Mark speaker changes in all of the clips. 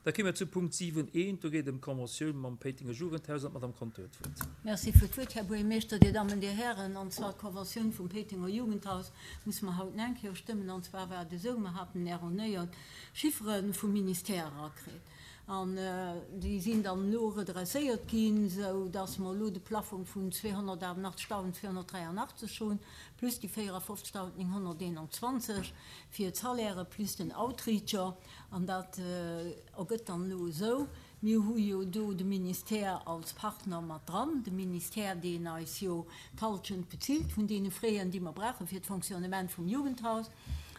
Speaker 1: Da kéime mer zu Punkt 7 eent. Do geet et ëm d'Conventioun mam Péitenger Jugendhaus an d'Madame Conter huet d'Wuert.
Speaker 2: Merci fir d'Wuert, Här Buergermeeschter, Dir Dammen, Dir Hären. An zwar d'Conventioun vum Péitenger Jugendhaus musse mer haut nach eng Kéier stëmmen. An zwar war et esou, mer haten erronéiert Chiffere vum Ministère erakritt an déi sinn dann elo redresséiert ginn, esou dass mer elo de Plaffong vun 288.283 hunn, plus déi 54.921 fir d'Salairë plus den Outreacher. An dat ergëtt dann elo esou, mir hu jo do de Ministère als Partner mat dran, de Ministère, deen eis jo d'Halschent bezilt vun deene Fräen, déi mer brauche fir d'Fonctionnement vum Jugendhaus,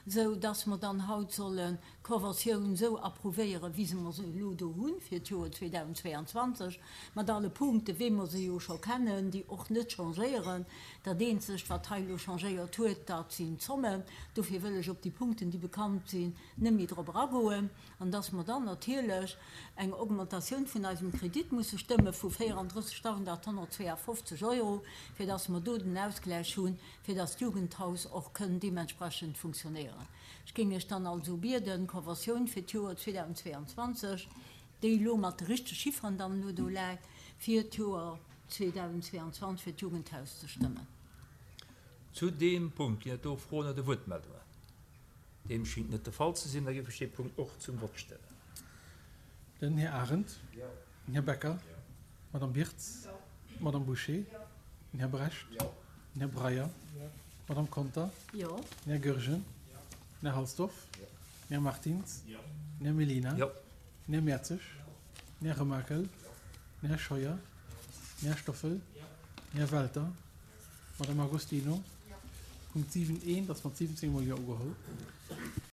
Speaker 2: esou dass mer dann haut sollen d'Conventioun esou approuvéieren, wéi se mer se elo do hu fir d'Joer 2022, mat alle Punkten, wéi mer se jo scho kennen, déi och net changéieren. Dat eenzegt, wat hei elo changéiert huet, dat sinn d'Zommen. Dofir wëll ech op déi Punkten, déi bekannt sinn, net méi drop eragoen, an dass mer dann natierlech eng Augmentatioun vun eisem Kredit musse stëmme vu 34.852 Euro, fir dass mer do den Ausgläich hunn, fir dass d'Jugendhaus och kënn deementsprechend funktionéieren. Ech géing Iech dann also bieden, d'Conventioun fir d'Joer 2022, déi elo mat de richtege Chifferen dann elo do läit, fir d'Joer 2022 fir d'Jugendhaus ze stëmmen.
Speaker 1: Zu deem Punkt ginn et do Froen oder Wuertmeldungen? Deem schingt net de Fall ze sinn. Da géif ech dee Punkt och zum Vott stellen.
Speaker 3: Den Här Arendt. Den Här Becker. D'Madame Birtz. D'Madame Bouché. Den Här Brecht. Den Här Breyer. D'Madame Conter. Den Här Goergen. Den Här Halsdorf. Den Här Martins. Den Här Mellina. Den Här Mertzig. Den Här Remakel. Den Här Scheuer. Den Här Stoffel. Den Här Welter. Madame Agostino, Punkt 7 eent ass mat 17 mol Jo ugeholl.